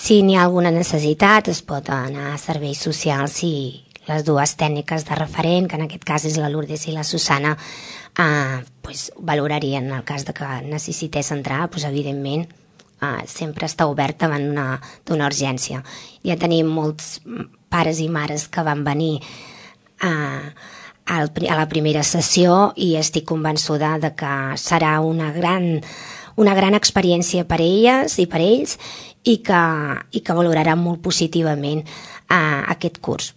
Si n'hi ha alguna necessitat, es pot anar a serveis socials i les dues tècniques de referent, que en aquest cas és la Lourdes i la Susana, valorarien el cas de que necessités entrar, evidentment, sempre està obert davant d'una urgència. Ja tenim molts pares i mares que van venir a la primera sessió i estic convençuda de que serà una gran experiència per elles i per ells i que valoraran molt positivament aquest curs.